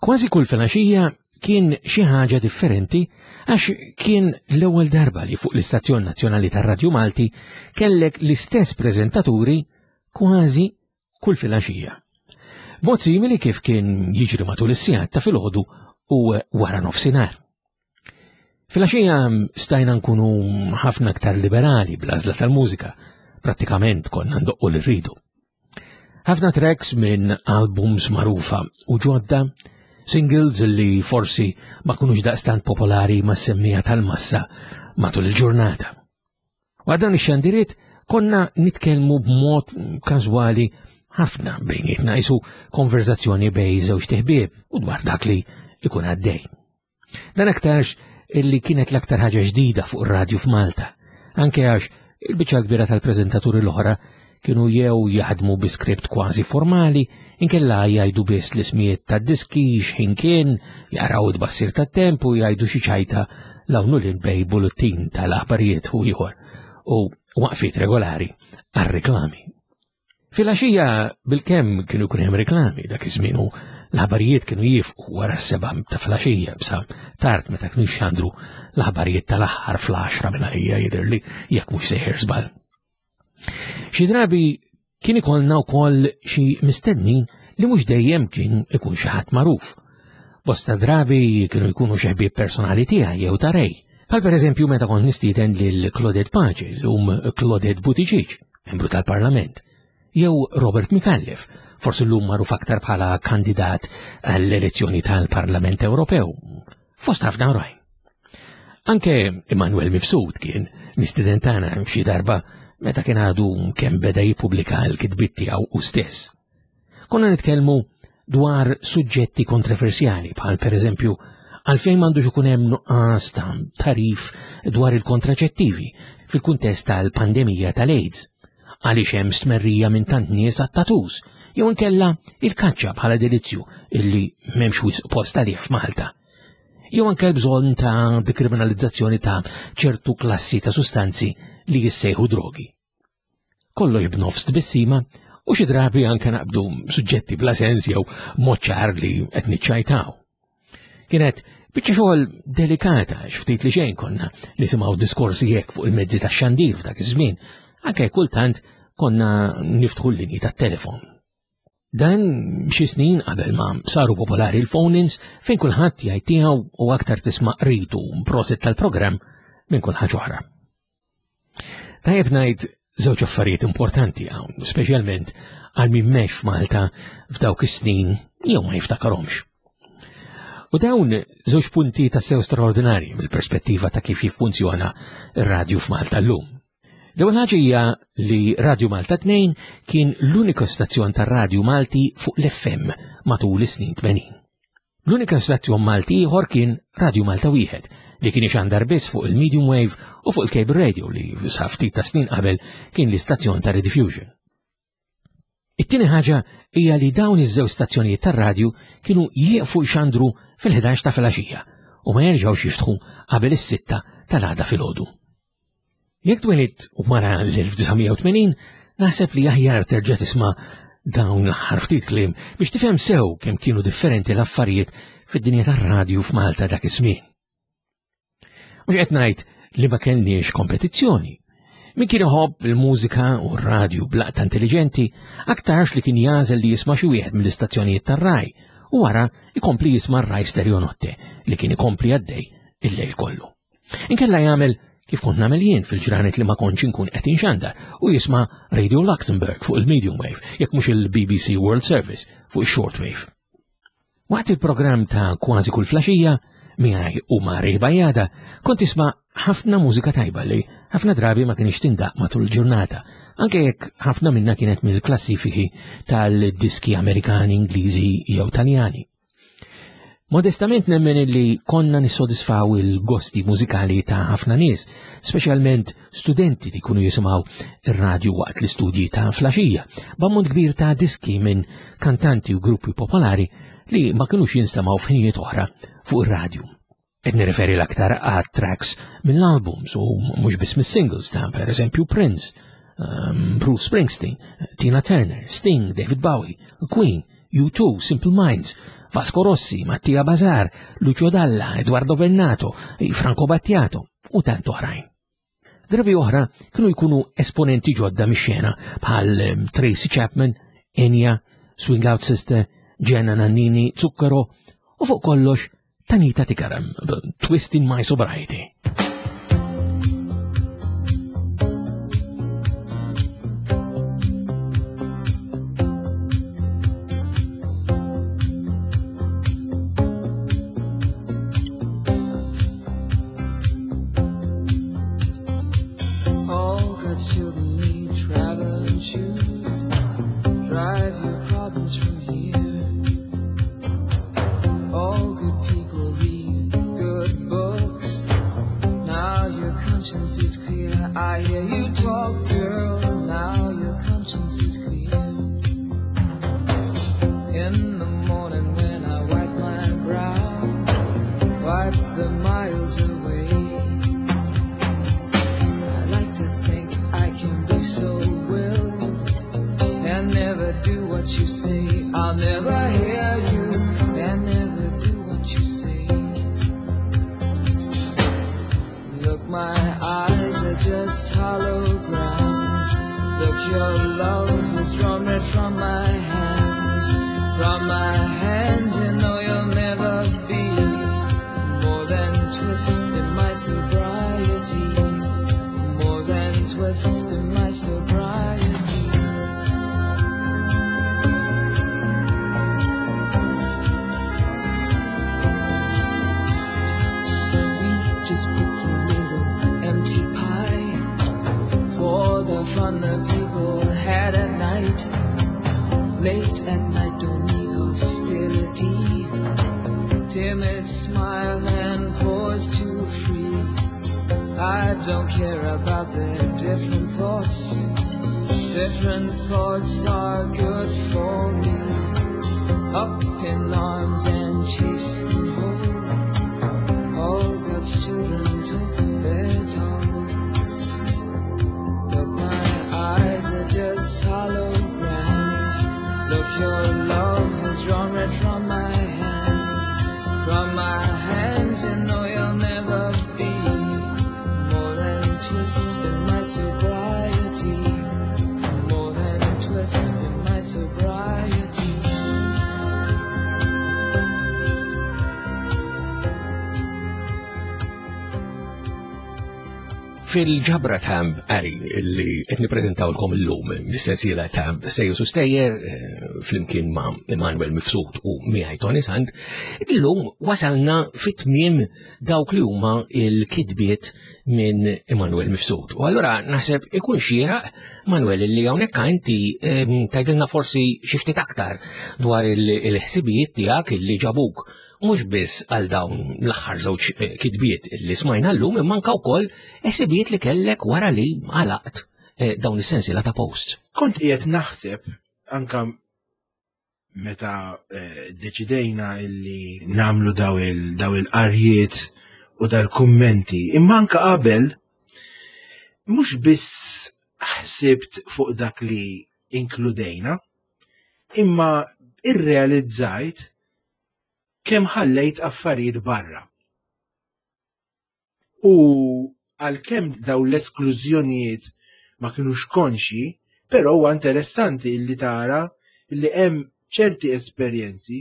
Kważi kull filgħaxija kien xi ħaġa differenti għax kien l-ewwel darba li fuq l-Istazzjon Nazzjonali tar-Radju Malti kellek l-istess preżentaturi kważi kull filgħaxija. Mod simili kif kien jiġri matul is-sigħat ta' filgħodu u wara nofsinhar. Filgħaxija stajna nkunu ħafna aktar liberali bl-għażla tal-mużika, prattikament konna ndoqqu li rridu. Ħafna tracks minn albums magħrufa u ġodda, singles li forsi ma kunux daqstant popolari ma' semmija tal-massa matul il-ġurnata. Wara dan ix-xandiriet konna nitkellmu b'mod każwali ħafna bejnietna isu konverzazzjoni bej żewġ teħbieb u dwar dak li ikun għaddej. Dan aktarx illi kienet l-aktar ħaġa ġdida fuq ir-radju f'Malta, anke għax il-biċċa kbira tal-preżentaturi l-oħra kienu jew jaħdmu bi skript kważi formali, inkella jgħidu biss l-ismijiet tad-diski x'ħin kien, jaqraw it-tbassir tat-temp u jgħidu xi ċajta l-hawn u lil bej bulletin tal-aħbarijiet u ieħor u waqfiet regolari għar-reklami. Filgħaxija bilkemm kienu jkun hemm reklami dak iż-żmien u l-aħbarijiet kienu jifqu wara s-seba' ta' filgħaxija bsa tard meta kienu jxandru l-aħbarijiet tal-aħħar fl-10 minn għalija jidhirli jekk mhux sejjer żball. Xi drabi kien ikollna wkoll xi mistednin li mhux dejjem kien ikun xi ħadd magħruf. Bosta drabi kienu jkunu xi ħbieb personali tiegħi jew ta' Ray. Bħal pereżempju meta kont nistieden lil Claudette Pace, llum Claudette Buttigieg, membru tal-Parlament, jew Robert Micallef, forsi llum magħruf aktar bħala kandidat għall-elezzjoni tal-Parlament Ewropew, fost ħafna oħrajn. Anke Immanuel Mifsud kien mistieden tagħna xi darba meta kien għadu kemm beda jippubblika l-kitbiet tiegħu u stess. Konna nitkellmu dwar suġġetti kontroversjali bħal pereżempju għalfejn m'għandux ikun hemm nuqqas ta' tarif dwar il-kontraċettivi fil-kuntest tal-pandemija tal-AIDS, għaliex hemm stmerrija minn tant nies għat-tatus, jew inkella il-kaċċa bħala delizzju illi m'hemmx wisq post għalih f'Malta. Jew anke l-bżonn ta' dekriminalizzazzjoni ta' ċertu klassi ta' sustanzi li jissejħu drogi. Kollox b'nofs tbissima u xi drabi anke naqbdu suġġetti bla sens jew mod ċar li qed niċċajtaw. Kienet biċċa xogħol delikata x'ftit li xejn konna nisimgħu diskorsi hekk fuq il-mezzi tax-xandir f'dak iż-żmien, anke kultant konna niftħu l-linji tat-telefon. Dan xi snin qabel ma saru popolari l-phone-ins fejn kulħadd jgħid tiegħu u aktar tisma' qritu prosit tal-programm minn kull ħaġa oħra. Tajjeb ngħid żewġ affarijiet importanti hawn, speċjalment għal min mex f'Malta f'dawk is-snin jew ma jiftakarhomx. U dawn żewġ punti ta' sew straordinarji mill-perspettiva ta' kif jiffunzjona r-radju f'Malta llum. L-ewwel ħaġa hija li Radju Malta 2 kien l-uniku stazzjon tar-radju Malti fuq l-FM matul is-snin 80. L-unika stazzjon Malti ieħor kien Radju Malta wieħed li kien ixandar biss fuq il-medium wave u fuq il-cable radio li sa ftit ta' snin qabel kien l-istazzjon ta' Rediffusion. It-tieni ħaġa hija li dawn iż-żewġ stazzjonijiet tar-radju kienu jieqfu jxandru fil-11 ta' filgħaxija u ma jerġgħux jiftħu qabel is-sitta tal-għada filgħodu. Jekk twelidt wara l-1980, naħseb li aħjar terġa' tisma' dawn l-aħħar ftit kliem biex tifhem sew kemm kienu differenti l-affarijiet fid-dinja tar-radju f'Malta dak iż-żmien. Mhux qed ngħid li ma kellniex kompetizzjoni. Min kien iħobb il-mużika u r-radju blaqta intelligenti, aktarx li kien jażel li jisma' xi wieħed mill-istazzjonijiet tar-raj u wara ikompli jisma' r-raj stereo notte li kien ikompli għaddej il-lejl kollu. Inkella jagħmel kif kont nagħmel jien fil-ġranet li ma kontx inkun qed inxandar u jisma' Radio Luxembourg fuq il-medium wave jekk mhux il-BBC World Service fuq il-short wave. Waqt il-programm ta' kważi kull flaxija, miegħi u ma' Ray Bajada, kont tisma' ħafna mużika tajba li ħafna drabi ma kienx tindaq matul il-ġurnata, anke jekk ħafna minna kienet mill-klassifiki tal-diski Amerikani, Ingliżi jew Taljani. Modestament nemmen li konna nissodisfaw il-gosti mużikali ta' ħafna nies, speċjalment studenti li jkunu jisimgħu ir-radju waqt l-istudji ta' flaxija, b'ammont kbir ta' diski minn kantanti u gruppi popolari li ma kinux jinstemaw f'ħinijiet oħra fuq ir-radju. Qed nirreferi l-aktar għat tracks mill-albums u mhux biss mis-singles ta' per eżempju Prince, um, Bruce Springsteen, Tina Turner, Sting, David Bowie, Queen, U2, Simple Minds, Vasco Rossi, Mattia Bazar, Lucio Dalla, Eduardo Bennato, Franco Battiato u tant oħrajn. Drabi oħra kienu jkunu esponenti ġodda mix-xena bħal ehm, Tracy Chapman, Enya, Swing Out Sister, Jenna Nannini, Zucchero u fuq kollox Tanita Tikaram, Twisting My Sobriety. I hear you talk, girl, now your conscience is clear. In the morning when I wipe my brow, wipe the miles away. I like to think I can be so willed and never do what you say. I'll never hear you and never do what you say. Look, my eyes are just holograms. Look, your love has drawn red from my hands. From my hands, you know you'll never be more than twisting my sobriety. More than twisting my sobriety. We just picked a little empty pie for the fun the people had at night. Late at night, don't need hostility. Timid smile and pause too free. I don't care about their different thoughts. Different thoughts are good for me. Up in arms and chasing home. All God's children took their toll. Look, my eyes are just holograms. Look, your love has drawn red from my hands. From my hands, you know you'll never be more than twisting my sobriety. More than twisting my sobriety. Fil-ġabra ta' qari li qed nippreżentawlkom illum mis-sensiela ta' Sejus u Stejjer eh, flimkien ma' Emanuel Mifsud u miegħi Tony Sant, illum wasalna fit-tmiem dawk li huma il-kitbiet minn Emanuel Mifsud. U allura naħseb ikun xieraq Manuel li hawnhekk inti eh, tgħidilna forsi xi ftit aktar dwar il-ħsibijiet tiegħek illi ġabuk mhux biss għal dawn l-aħħar żewġ eh, kitbiet li smajna llum imma anke wkoll ħsibijiet li kellek wara li għalaqt eh, dawn is-sensiela ta' posts. Kont qiegħed naħseb anka meta eh, deċidejna illi namlu daw il-qarjiet u dal-kummenti, imma anka qabel mhux biss ħsibt fuq dak li inkludejna, imma irrealizzajt kemm ħallejt affarijiet barra. U għalkemm dawn l-esklużjonijiet ma kinux konxji, però huwa interessanti li tara li hemm ċerti esperjenzi,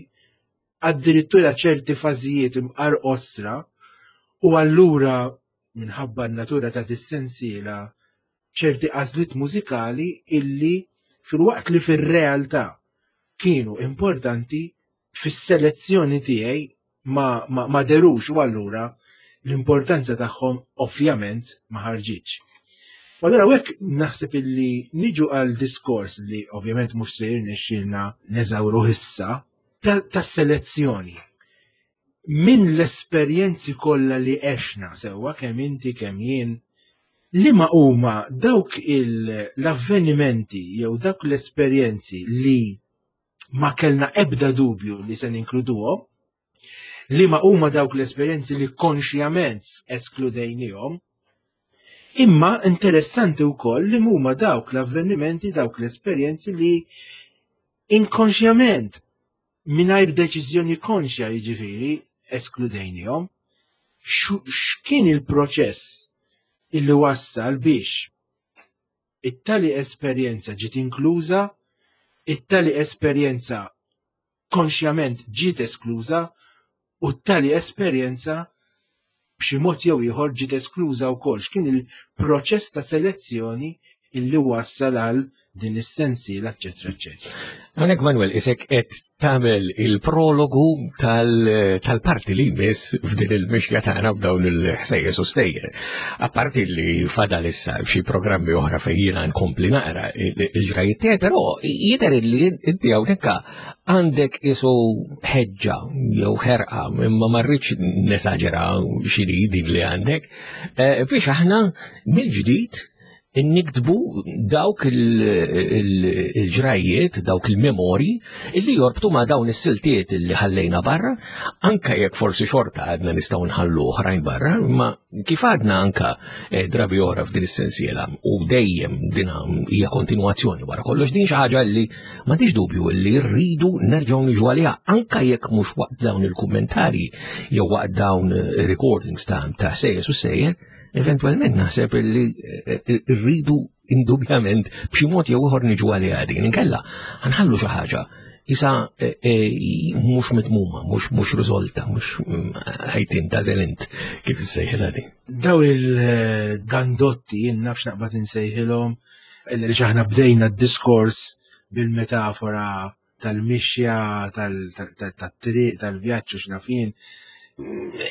addirittura ċerti fażijiet imqar qosra, u allura minħabba n-natura ta' dis-sensiela ċerti għażliet mużikali illi filwaqt li fir-realtà kienu importanti fis-selezzjoni tiegħi ma, ma, ma derux u allura l-importanza tagħhom ovvjament ma ħarġitx. U allura hekk naħseb illi niġu għal diskors li ovvjament mhux se jirnexxielna neżawru issa tas-selezzjoni. Min l-esperjenzi kollha li għexna sewwa kemm inti kemm jien liema huma dawk l-avvenimenti jew dawk l-esperjenzi li ma kellna ebda dubju li se ninkluduhom, Liema huma dawk l-esperjenzi li konxjament eskludejnihom. Imma interessanti wkoll li huma dawk l-avvenimenti, dawk l-esperjenzi li inkonxjament mingħajr deċiżjoni konxja jiġifieri eskludejnihom. X'kien il-proċess illi wassal biex it-tali esperjenza ġiet inkluża, it-tali esperjenza konxjament ġiet eskluża u t-tali esperjenza b'xi mod jew ieħor ġiet eskluża wkoll. X'kien il-proċess ta' selezzjoni illi wassal għal din is-sensiela, eċċetera, eċċetera. Hawnhekk Manuel isek qed tagħmel il-prologu tal-parti li jmiss f'din il-mixja tagħna b'dawn il-ħsejjes u stejjer. Apparti li fadal issa xi programmi oħra fejn jiena nkompli naqra il-ġrajiet tiegħi, però jidher li inti hawnhekk għandek isu ħeġġa jew ħerqa imma ma rridx nesaġera x'inhi din li għandek eh, biex aħna mill-ġdid niktbu dawk il-ġrajiet, dawk il-memori illi jorbtu ma' dawn is-siltiet illi ħallejna barra, anka jekk forsi xorta għadna nistgħu nħallu oħrajn barra, ma kif għadna anka eh, drabi oħra f'din is-sensiela u dejjem din hija kontinwazzjoni wara kollox din xi ħaġa li m'għandix dubju li rridu nerġgħu niġu għaliha anka jekk mhux waqt dawn il-kummentarji jew waqt dawn recordings ta' ta' sejjes u sejjer, Eventualment naħseb li eh, eh, rridu indubjament b'xi mod jew ieħor niġu għaliha din. Inkella ħanħallu xi ħaġa isa eh, mhux mitmuma, mhux mhux riżolta, mhux mm, ħajtin tażel int kif issejħilha din. Daw il-gandotti jien nafx naqbad insejħilhom li aħna bdejna d-diskors bil-metafora tal-mixja, tat-triq, tal-vjaġġ u x'naf jien.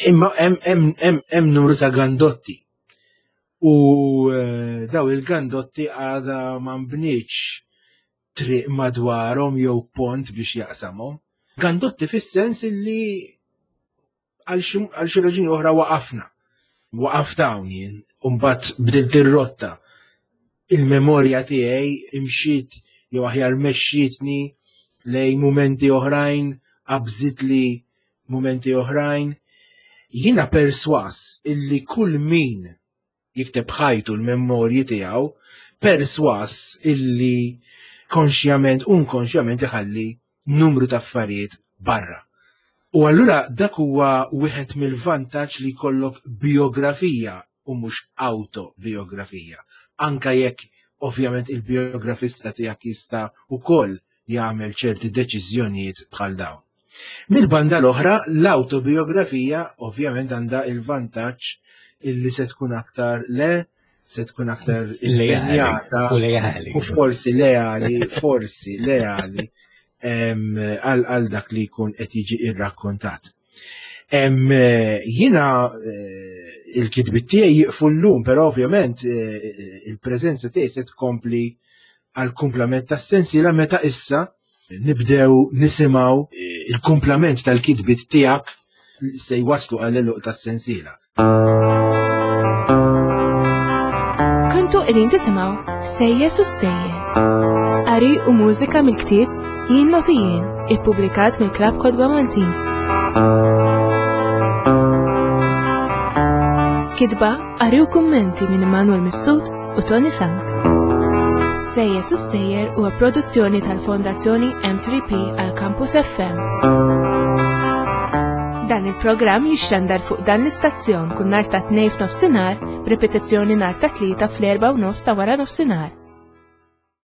Imma hemm numru ta' gandotti. U eh, daw il-gandotti għadha ma nbnietx triq madwarhom jew pont biex jaqsamhom. Gandotti fis-sens illi għal xi raġuni oħra waqafna. Waqaft hawn jien, u mbagħad bdilt ir-rotta. Il-memorja tiegħi imxiet jew aħjar mexxietni lejn mumenti oħrajn, qabżitli mumenti oħrajn. Jiena perswas illi kull min jikteb ħajtu l-memorji tiegħu perswas illi konxjament u inkonxjament iħalli numru ta' affarijiet barra. U allura dak huwa wieħed mill-vantaġġ li jkollok bijografija u mhux awtobiografija. Anka jekk ovvjament il-bijografista tiegħek jista' wkoll jagħmel ċerti deċiżjonijiet bħal dawn. Mill-banda l-oħra, l-awtobiografija ovvjament għandha il-vantaġġ illi se tkun aktar le, se tkun aktar impenjata u leali. U forsi leali, forsi leali għal dak li jkun qed jiġi irrakkontat. Jiena eh, il-kitbit tiegħi jiqfu llum, però ovvjament eh, il-preżenza tiegħi se tkompli għal kumplament tas-sensiela meta issa nibdew nisimgħu eh, il-kumplament tal-kitbit tiegħek se jwaslu għal eluq tas-sensiela. Kontu qegħdin tisimgħu Sejjes u Stejjer. Qari u mużika mill-ktieb Jien Noti Jien, ippubblikat mill-Klabb Kotba Maltin. Kitba, qari u kummenti minn Immanuel Mifsud u Tony Sant. Sejjes u Stejjer huwa produzzjoni tal-Fondazzjoni M3P għal Campus FM. Dan il-programm jixxandar fuq dan l-istazzjon kull nhar ta' tnejn f'nofsinhar b'ripetizzjoni nhar ta' tlieta fl-erba' u nofs ta' wara nofsinhar.